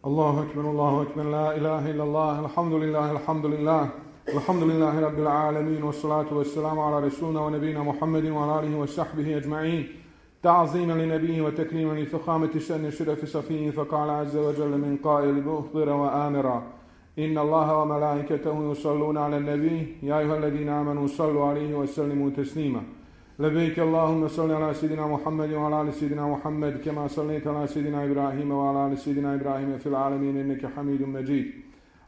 الله أكبر لا إله إلا الله الحمد لله الحمد لله رب العالمين والصلاة والسلام على رسولنا ونبينا محمد وعلى آله وصحبه أجمعين تعظيما لنبيه وتكريما لفخامة شأن شرف صفيه فقال عز وجل من قائل مخبرا وآمرا إن الله وملائكته يصلون على النبي يا أيها الذين آمنوا صلوا عليه وسلموا تسليما لبيك اللهم صل على سيدنا محمد وعلى آل سيدنا محمد كما صليت على سيدنا إبراهيم وعلى آل سيدنا إبراهيم في العالمين إنك حميد مجيد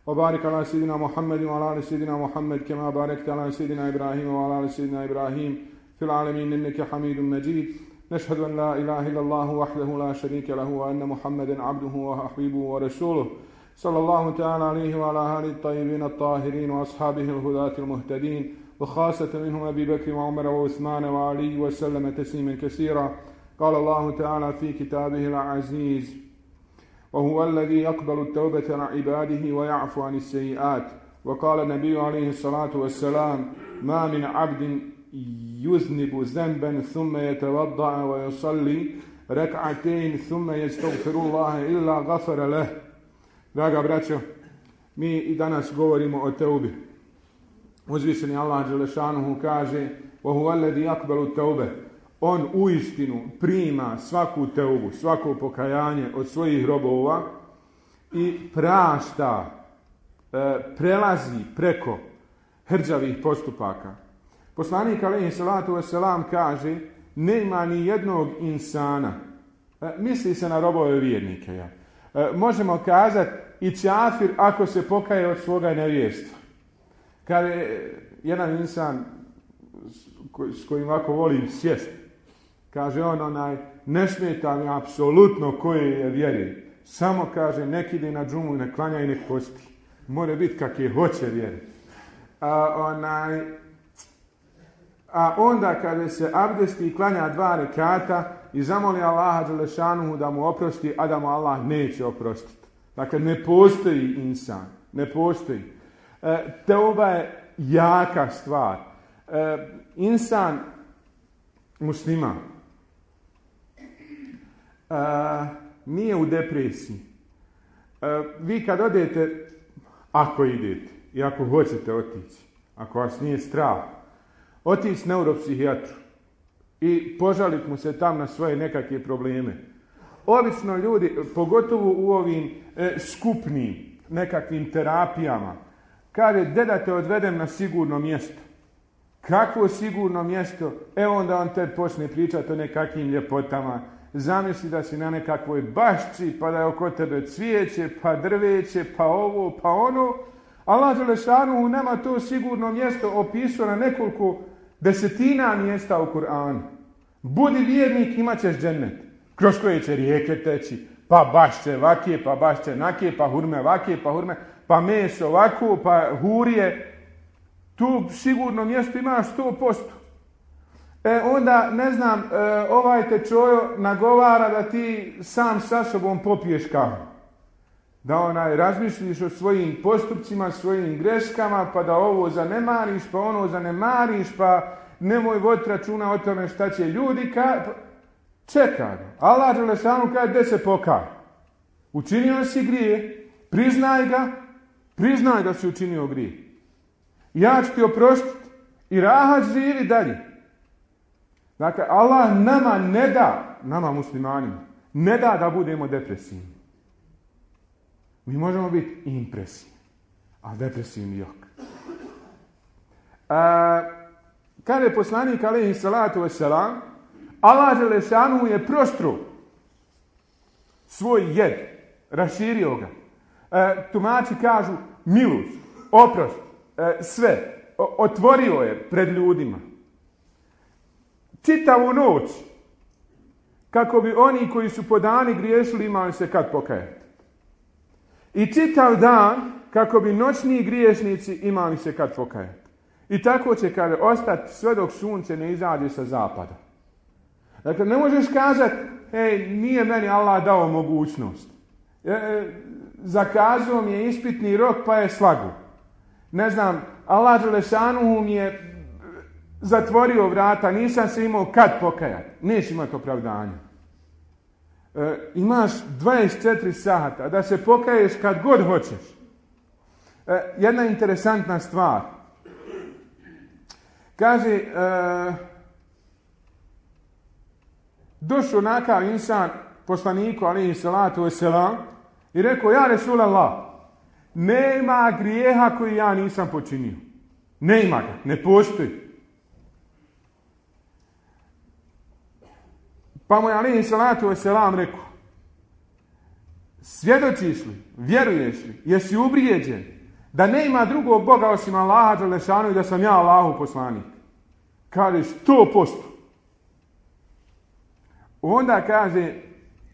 وبارك على سيدنا محمد وعلى آل سيدنا محمد كما باركت على سيدنا إبراهيم وعلى آل سيدنا إبراهيم في العالمين إنك حميد مجيد نشهد أن لا إله إلا الله وحده لا شريك له وأن محمدا عبده وحبيبه ورسوله صلى الله تعالى عليه وعلى آله الطيبين الطاهرين وأصحابه الهداة المهتدين وخاصة منهم أبي بكر وعمر وعثمان وعلي وسلم تسليما كثيرا قال الله تعالى في كتابه العزيز وهو الذي يقبل التوبة عن عباده ويعفو عن السيئات وقال النبي عليه الصلاة والسلام ما من عبد يذنب ذنبا ثم يتوضأ ويصلي ركعتين ثم يستغفر الله إلا غفر له. Draga braćo, mi i danas govorimo o teubi. Uzvišeni Allah dželešanuhu kaže وَهُوَ الَّذِي يَقْبَلُ التَّوْبَ On uistinu prima svaku teubu, svako pokajanje od svojih robova i prašta, prelazi preko hrđavih postupaka. Poslanik alejhi salatu vesselam kaže nema ni jednog insana, misli se na robove vjernike, možemo kazati i čafir ako se pokaje od svoga nevjerstva. Kad je jedan insan s kojim ovako volim sjest, kaže on ne smeta mi apsolutno koje je vjeri, samo kaže nek ide na džumu, nek klanja i nek posti. Mora biti kak je hoće vjeri. A onda kada se abdesti i klanja 2 rekata i zamoli Allaha dželešanuhu da mu oprosti, a da mu Allah neće oprostiti. Dakle, ne postoji insan, ne postoji. Teuba je jaka stvar. Insan musliman nije u depresiji. Vi kad odete, ako idete i ako hoćete otići, ako vas nije strah, otići neuropsihijatru i požaliti mu se tam na svoje nekakve probleme. Obično ljudi, pogotovo u ovim skupnim nekakvim terapijama, kaže, da te odvedem na sigurno mjesto. Kakvo sigurno mjesto? Onda on te počne pričati o nekakvim ljepotama. Zamisli da si na nekakvoj bašči, pa da je oko tebe cvijeće, pa drveće, pa ovo, pa ono. Allah dželešanuhu nama to sigurno mjesto opisao na nekoliko desetina mjesta u Kur'anu. Budi vjernik, imat ćeš džennet, kroz koje će rijeke teći, pa bašće vakije, pa bašće nakije, pa hurme vakije, pa hurme, pa meso ovako, pa hurije. Tu sigurno mjesto imaš 100%. Onda, ne znam, ovaj te čojo nagovara da ti sam sa sobom popiješ kavu. Da razmišljiš o svojim postupcima, svojim greškama, pa da ovo zanemariš, pa ono zanemariš, pa nemoj voditi računa o tome šta će ljudi čekaj. Allah dželešanu kaže gdje se pokaj. Učinio si grije, priznaj da si učinio grije. Ja ću ti oprostiti i rahat živi dalje. Dakle, Allah nama ne da, nama muslimanima, ne da budemo depresivni. Mi možemo biti impresivni, a depresivni jok. Kada je poslanik alejhi salatu vesselam, Allah dželešanu je prostro svoj jed, raširio ga. Tumači kažu milost, oprost, sve. Otvorio je pred ljudima. Čitavu noć, kako bi oni koji su po dani griješili imali se kad pokajati. I čitav dan, kako bi noćni griješnici imali se kad pokajati. I tako će kada ostati sve dok sunce ne izađe sa zapada. Dakle, ne možeš kazati, nije meni Allah dao mogućnost. Zakazao mi je ispitni rok pa je slago. Ne znam, Allah dželešanuhu mi je zatvorio vrata, nisam se imao kad pokajati. Neš imati opravdanja. Imaš 24 sata da se pokaješ kad god hoćeš. Jedna interesantna stvar. Kaže, došao nakav insan poslaniku alejhi salatu vesselam i rekao: ja Resulallah, nema grijeha koji ja nisam počinio. Nema ga, ne postoji. Pa mu je alejhi salatu vesselam rekao: svjedočiš li, vjeruješ li, jesi ubrijeđen da nema drugog Boga osim Allaha dželešanu i da sam ja Allahu poslanik? Kaže 100%. Onda kaže: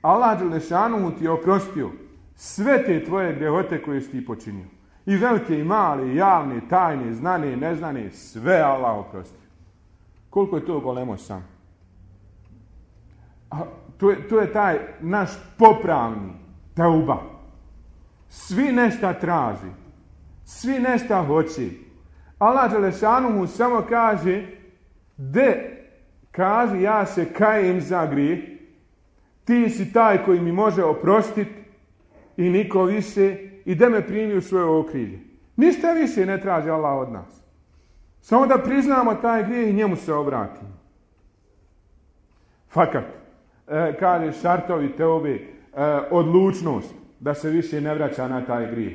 Allah dželešanu ti je oprostio sve te tvoje grehote koje si ti počinio. I velike i male, i javne, tajne, znane, neznane, sve Allah oprostio. Koliko je to golemo sam? A to je taj naš popravni teuba. Svi nešto traži. Svi nešto hoće. Allah dželešanu mu samo kaže: kaže, ja se kajem za grijeh. Ti si taj koji mi može oprostiti i niko više, i da me primi u svoje okrilje. Ništa više ne traži Allah od nas. Samo da priznamo taj grijeh i njemu se obratimo. Fakat, kaže šartovi teube, odlučnost da se više ne vraća na taj grijeh.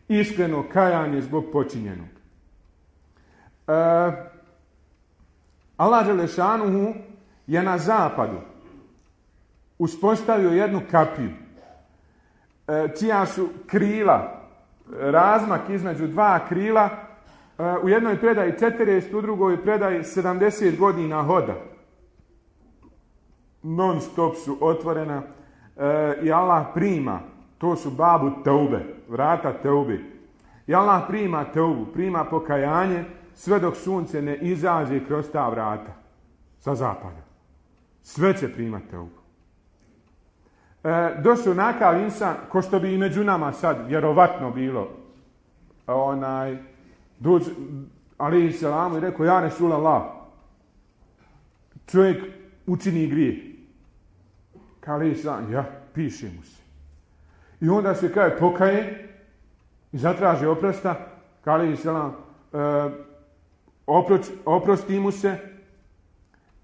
Iskreno kajanje zbog počinjenog. Allah dželešanuhu je na zapadu uspostavio jednu kapiju čija su krila, razmak između dva krila, u jednoj predaji 40, u drugoj predaji 70 godina hoda. Non stop su otvorena i Allah prima, to su babu teube, vrata teube. I Allah prima teubu, prima pokajanje sve dok sunce ne izađe kroz ta vrata sa zapada. Sve će primati teubu. Došao nakav insan, ko što bi i među nama sad vjerovatno bilo, alejhi selamu, i rekao: ja Resulallah, čovjek učini grijeh. Kao alejhi selam: ja, piše mu se. I onda se kaže pokaje i zatraži oprosta. Kao alejhi selam, oprosti mu se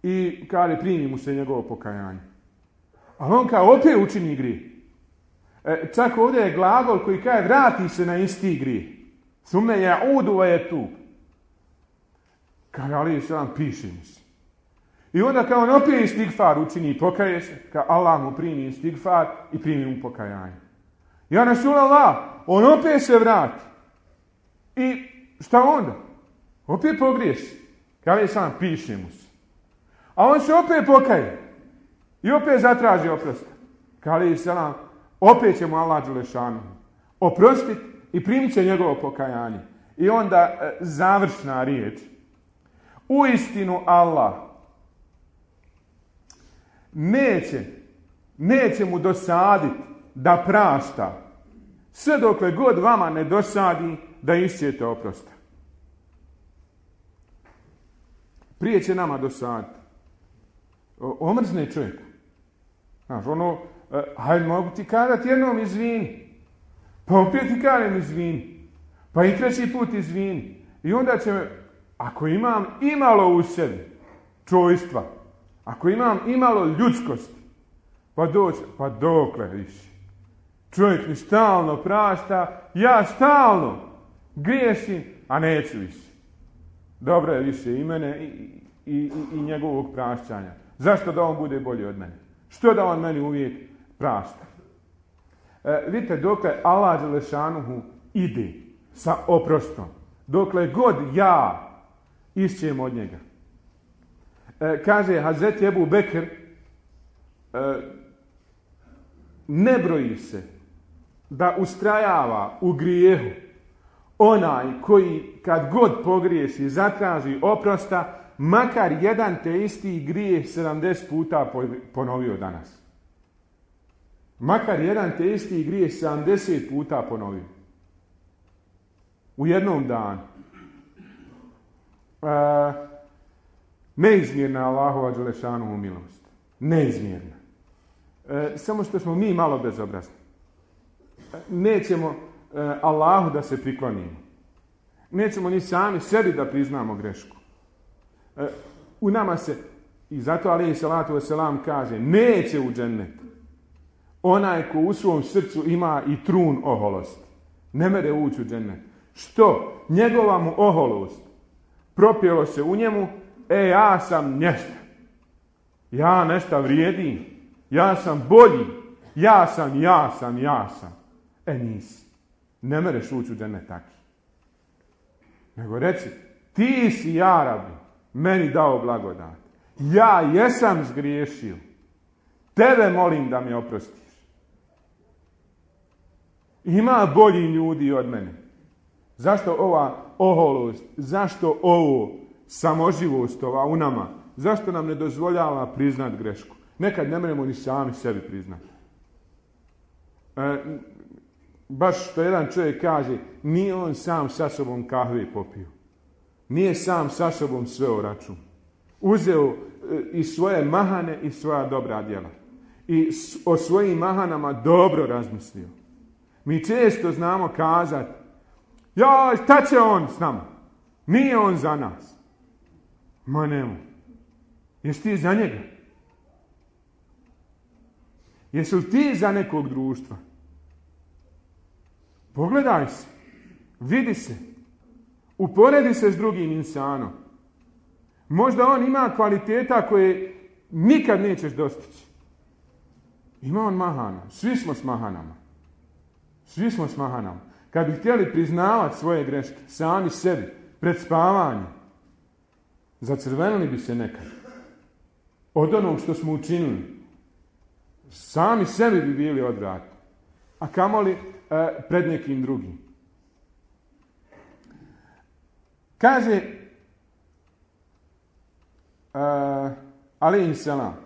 i kaže primi mu se njegovo pokajanje. A on kao opet učini grijeh. Čak ovdje je glagol koji kaže vrati se na isti grijeh. Sume yaudu wa yatub. Kaže alejhi selam, piše mu se. I onda kao on opet istigfar učini i pokaje se, kao Allah mu primi istigfar i primi mu pokajanje. Ja Resulallah, on opet se vrati. I šta onda? Opet pogriješi. Kao alejhi selam, piše mu se. A on se opet pokaje. I opet zatraži oprost. Kao alejhi selam, opet će mu Allah dželešanu oprostiti i primit će njegovo pokajanje. I onda završna riječ. Uistinu Allah neće mu dosaditi da prašta sve dokle god vama ne dosadi da išćete oprosta. Prije će nama dosaditi. Omrzne čovjeka. Znaš, hajde, mogu ti kazati jednom izvini. Pa opet ti kažem izvini. Pa i treći put izvini. I onda će me, ako imam imalo u sebi čojstva, ako imam imalo ljudskosti, pa doći, pa dokle više. Čovjek mi stalno prašta, ja stalno griješim, a neću više. Dobro je više i mene i njegovog prašćanja. Zašto da on bude bolji od mene? Što da on meni uvijek prašta? Vidite, dokle Allah dželešanuhu ide sa oprostom, dokle god ja išćem od njega. Kaže Hazreti Ebu Bekr, ne broji se da ustrajava u grijehu onaj koji kad god pogriješi zatraži oprosta, makar jedan te isti grijeh 70 puta ponovio danas. Makar jedan te isti grijeh 70 puta ponovio. U jednom danu. Neizmjerna Allahova dželešanuhu milost. Neizmjerna. samo što smo mi malo bezobrazni. Nećemo Allahu da se priklonimo. Nećemo ni sami sebi da priznamo grešku. U nama se, i zato alejhi salatu vesselam kaže, neće u džennet onaj ko u svom srcu ima i trun oholosti. Ne mere ući u džennet. Što? Njegova mu oholost propjelo se u njemu, ja sam nešto. Ja nešto vrijedim. Ja sam bolji. Ja sam. Nisi. Ne mereš ući u džennet taki. Nego reci, ti si, ja Rabbi, meni dao blagodat. Ja jesam zgriješio. Tebe molim da mi oprostiš. Ima bolji ljudi od mene. Zašto ova oholost? Zašto ovo samoživost ova u nama? Zašto nam ne dozvoljava priznat grešku? Nekad ne možemo ni sami sebi priznati. Baš što jedan čovjek kaže, nije on sam sa sobom kahve popio. Nije sam sa sobom sveo račun. Uzeo i svoje mahane i svoja dobra djela. I o svojim mahanama dobro razmislio. Mi često znamo kazati, ja, šta će on s nama? Nije on za nas. Ma nemo. Jesi ti za njega? Jesi li ti za nekog društva? Pogledaj se. Vidi se. Uporedi se s drugim insanom. Možda on ima kvaliteta koje nikad nećeš dostići. Ima on mahana. Svi smo s mahanama. Kad bi htjeli priznavati svoje greške, sami sebi, pred spavanjem, zacrvenili bi se nekad. Od onog što smo učinili. Sami sebi bi bili odvratni. A kamoli pred nekim drugim. Kaže alejhi selam,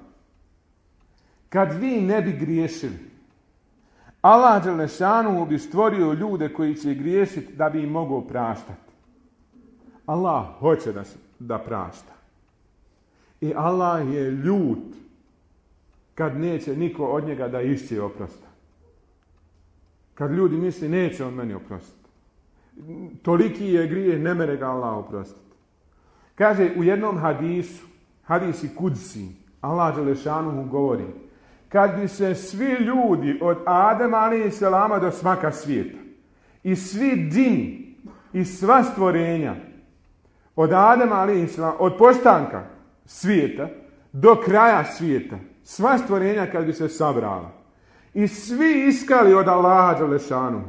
kad vi ne bi griješili, Allah dželešanu bi stvorio ljude koji će griješiti da bi im mogao praštati. Allah hoće da prašta. I Allah je ljut kad neće niko od njega da išće oprosta. Kad ljudi misli neće on meni oprostiti. Toliki je grijeh, ne mere ga Allah oprostiti. Kaže u jednom hadisu, hadisi kudsi, Allah dželešanu govori, kad bi se svi ljudi od Adema alejhi selama do smaka svijeta i svi džini i sva stvorenja od Adema alejhi selama, od postanka svijeta do kraja svijeta, sva stvorenja kad bi se sabrala i svi iskali od Allaha dželešanu,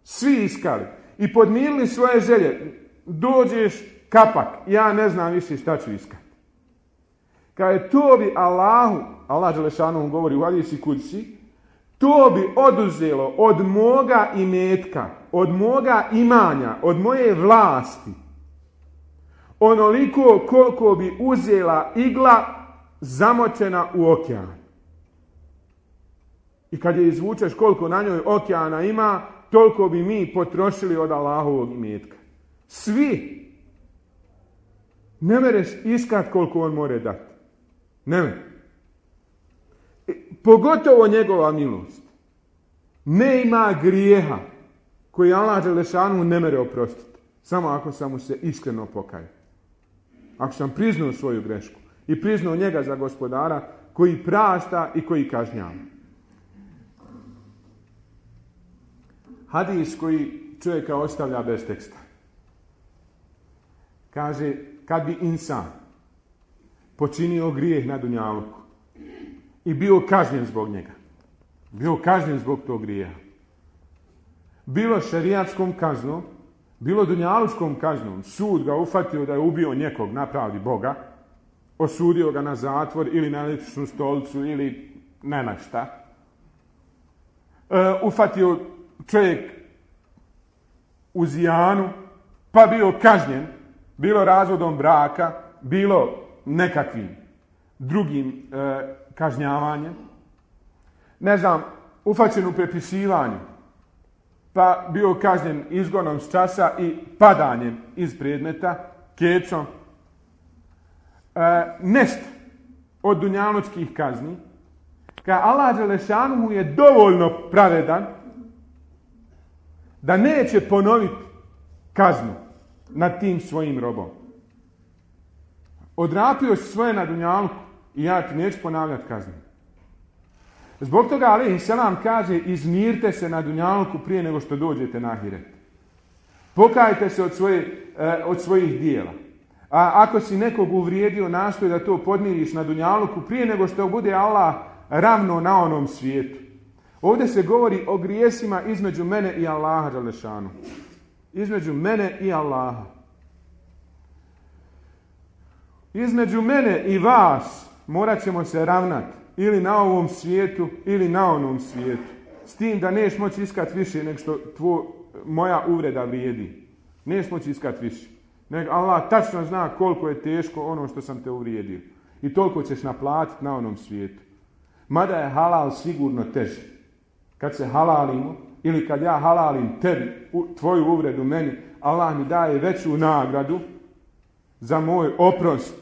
svi iskali i podmirili svoje želje, dođeš kapak, ja ne znam više šta ću iskati. Kaže, to bi Allah dželešanu govori u hadisi kudsi, to bi oduzelo od moga imetka, od moga imanja, od moje vlasti, onoliko koliko bi uzela igla zamočena u okean. I kad je izvučeš koliko na njoj okeana ima, toliko bi mi potrošili od Allahovog imetka. Svi. Ne mereš iskat koliko on more dati. Ne. Pogotovo njegova milost. Ne ima grijeha koji Allah dželešanu ne mere oprostiti. Samo ako sam mu se iskreno pokajao. Ako sam priznao svoju grešku i priznao njega za gospodara koji prašta i koji kažnjava. Hadis koji čovjeka ostavlja bez teksta. Kaže, kad bi insan počinio grijeh na dunjaluku i bio kažnjen zbog njega, bio kažnjen zbog tog grijeha, bilo šerijatskom kaznom, bilo dunjalučkom kaznom, sud ga ufatio da je ubio nekog na pravdi Boga, osudio ga na zatvor ili na električnu stolicu ili ne na šta, ufatio čovjek u zijanu, pa bio kažnjen, bilo razvodom braka, bilo nekakvim drugim kažnjavanjem, ne znam, ufaćen u prepisivanju, pa bio kažnjen izgonom s časa i padanjem iz predmeta, kečom, nešto od dunjalučkih kazni, Allah dželešanuhu je dovoljno pravedan da neće ponoviti kaznu nad tim svojim robom. Odrapio si svoje na dunjalku i ja ti neću ponavljati kaznu. Zbog toga alejhi selam kaže izmirite se na dunjalku prije nego što dođete na ahiret. Pokajte se od svojih dijela. A ako si nekog uvrijedio, nastoj da to podmiriš na dunjalku prije nego što bude Allah ravno na onom svijetu. Ovdje se govori o grijesima između mene i Allaha dželešanu. Između mene i Allaha. Između mene i vas morat ćemo se ravnati. Ili na ovom svijetu, ili na onom svijetu. S tim da neš moći iskati više nego što moja uvreda vrijedi. Neš moći iskati više. Nego Allah tačno zna koliko je teško ono što sam te uvrijedio. I toliko ćeš naplatiti na onom svijetu. Mada je halal sigurno teži. Kad se halalimo, ili kad ja halalim tebi, tvoju uvredu meni, Allah mi daje veću nagradu za moj oprost,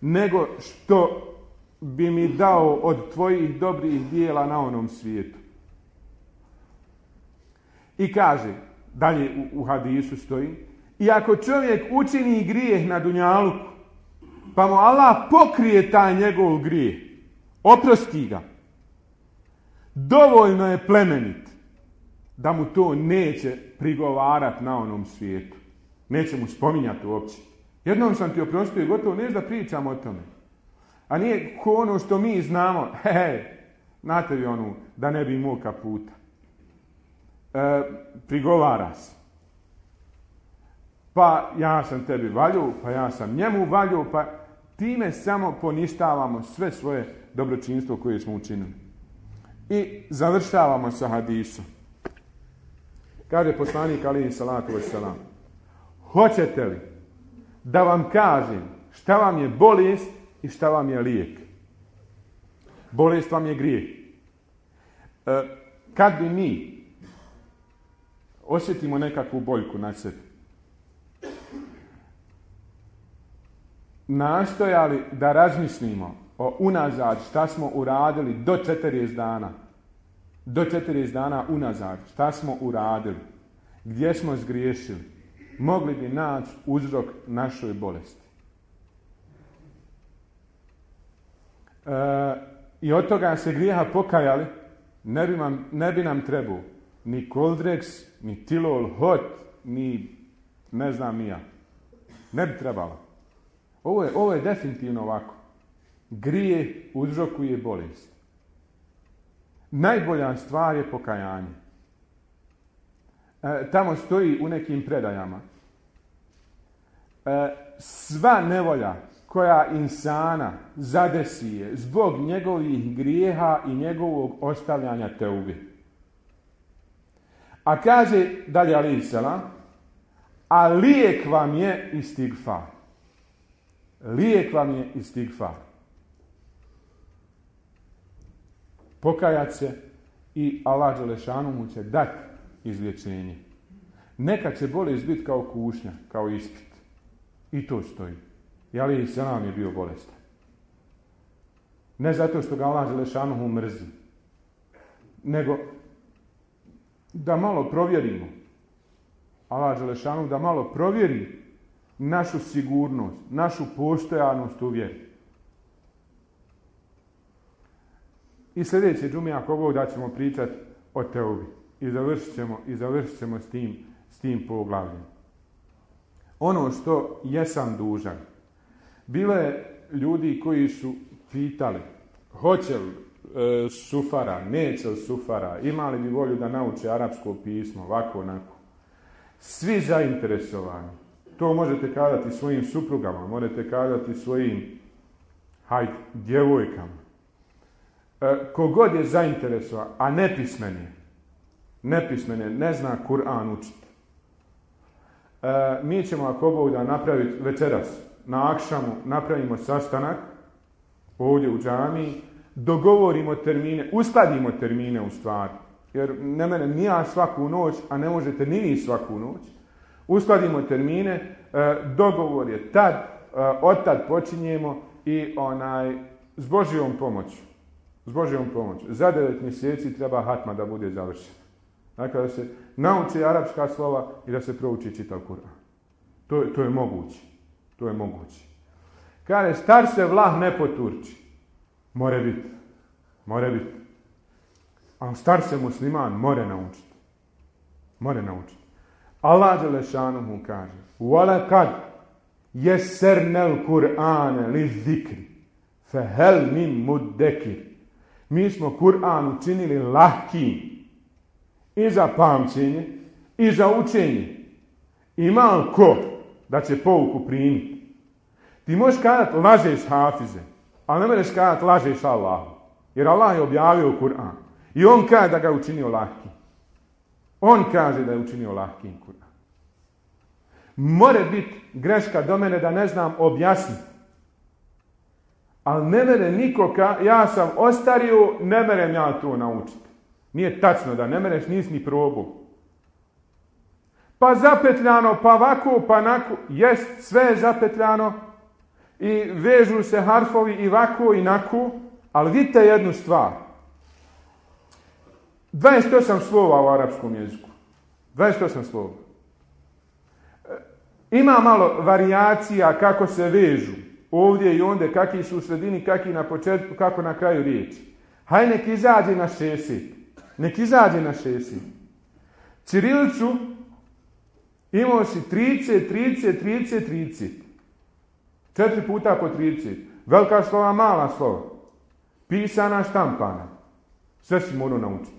nego što bi mi dao od tvojih dobrih dijela na onom svijetu. I kaže, dalje u hadisu stoji, i ako čovjek učini grijeh na dunjaluku, pa mu Allah pokrije taj njegov grijeh, oprosti ga, dovoljno je plemenit da mu to neće prigovarati na onom svijetu. Neće mu spominjati uopće. Jednom sam ti oprostio i gotovo neš da pričam o tome. A nije ko ono što mi znamo, znate vi onu, da ne bi imao kaputa. Prigovara se. Pa ja sam tebi valju, pa ja sam njemu valju, pa time samo poništavamo sve svoje dobročinstvo koje smo učinili. I završavamo sa hadisom. Kaže poslanik alejhi salatu vesselam: hoćete li da vam kažem šta vam je bolest i šta vam je lijek? Bolest vam je grijeh. Kad bi mi osjetimo nekakvu boljku na sebi, nastojali da razmislimo o unazad šta smo uradili do 40 dana. Do 40 dana unazad šta smo uradili, gdje smo zgriješili, mogli bi naći uzrok našoj bolesti. I od toga se grijeha pokajali, ne bi nam trebao ni Coldrex, ni Tilol Hot, ni ne znam ni ja. Ne bi trebalo. Ovo je definitivno ovako. Grijeh uzrokuje bolest. Najbolja stvar je pokajanje. Tamo stoji u nekim predajama. Sva nevolja koja insana zadesi je zbog njegovih grijeha i njegovog ostavljanja teubi. A kaže dalje alejhi selam, a lijek vam je istigfar. Lijek vam je istigfar. Pokajat se i Allah dželešanuhu će dati izlječenje. Neka će bolest biti kao kušnja, kao ispit. I to stoji. I alejhi selam je bio bolestan. Ne zato što ga Allah dželešanuhu mrzi, nego da malo provjerimo. Allah dželešanuhu da malo provjeri našu sigurnost, našu postojanost u vjeri. I sljedeće džume, ako Bog da, ćemo pričati o teubi. I završit ćemo s tim poglavljem. Ono što jesam dužan. Bilo je ljudi koji su pitali hoće li sufara, neće li sufara, imali bi volju da nauče arapsko pismo, ovako, onako. Svi zainteresovani. To možete kazati svojim suprugama, možete kazati svojim djevojkama. Kogod je zainteresovan, a nepismen je, ne zna Kur'an učiti. Mi ćemo, ako Bog da, napraviti večeras, na akšamu napravimo sastanak ovdje u džamiji, dogovorimo termine, uskladimo termine u stvari. Jer ne mene ni ja svaku noć, a ne možete ni vi svaku noć. Uskladimo termine, dogovor je tad, od tad počinjemo i s Božjom pomoću S Božjom pomoći. Za 9 mjeseci treba hatma da bude završena. Dakle, da se nauči arapska slova i da se prouči čitav Kur'an. To je moguće. To je moguće. Kaže, star se vlah ne poturči. More biti. More biti. A star se musliman more naučiti. More naučiti. Allah dželešanuhu kaže: "Walaqad yassarnal Qur'ana lizikri fahal min muddakir." Mi smo Kur'an učinili lahkim i za pamćenje i za učenje. Ima li ko da će pouku primiti? Ti možeš kazati lažeš hafize, ali ne možeš kazati lažeš Allahu. Jer Allah je objavio Kur'an i on kaže da ga je učinio lahkim. On kaže da je učinio lahkim Kur'an. More biti greška do mene da ne znam objasniti. Ali ne mere nikoga, ja sam ostario, ne merem ja to naučiti. Nije tačno da ne mereš, nisi ni probao. Pa zapetljano, pa ovako, pa onako. Jest, sve je zapetljano i vežu se harfovi i ovako i onako, ali vidite jednu stvar. 28 slova u arapskom jeziku. 28 slova. Ima malo varijacija kako se vežu. Ovdje i ondje, kakvi su u sredini, kakvi na početku, kako na kraju riječi. Haj nek izađe na 60. Nek izađe na 60. Ćirilicu imao si 30, 30, 30, 30. 4 puta po 30. Velika slova, mala slova. Pisana, štampana. Sve si morao naučiti.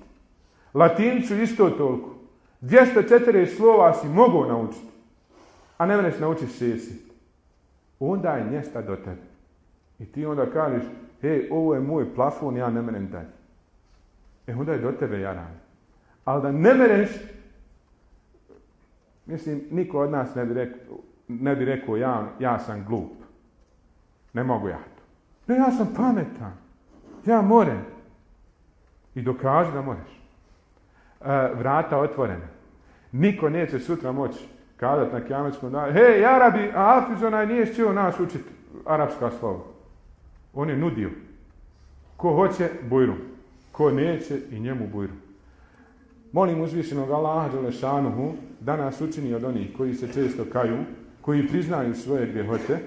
Latinicu isto toliko. 204 slova si mogao naučiti. A ne možeš naučiti 60. Onda je mjesta do tebe. I ti onda kažeš, hej, ovo je moj plafon, ja ne merem dalje. Onda je do tebe jaran. Ali da ne mereš, mislim, niko od nas ne bi rekao ja sam glup. Ne mogu ja to. Ne, ja sam pametan. Ja morem. I dokaži da možeš. Vrata otvorena. Niko neće sutra moći kazati na kijametskom danu, hej, Arabi, a Hafiz onaj nije htio nas učiti arapska slova. On je nudio. Ko hoće, bujrum. Ko neće, i njemu bujrum. Molim uzvišenog Allaha dželešanuhu da nas učini od onih koji se često kaju, koji priznaju svoje grijehote,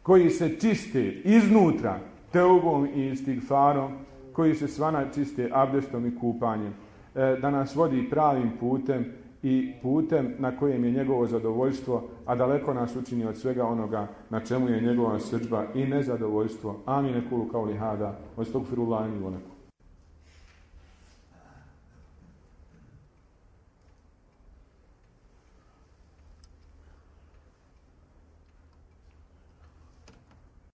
koji se čiste iznutra teubom i istigfarom, koji se svana čiste abdestom i kupanjem, da nas vodi pravim putem i putem na kojem je njegovo zadovoljstvo, a daleko nas učini od svega onoga na čemu je njegova srdžba i nezadovoljstvo. Amin. Ekulu kauli hada, astagfirullahi wa lakum.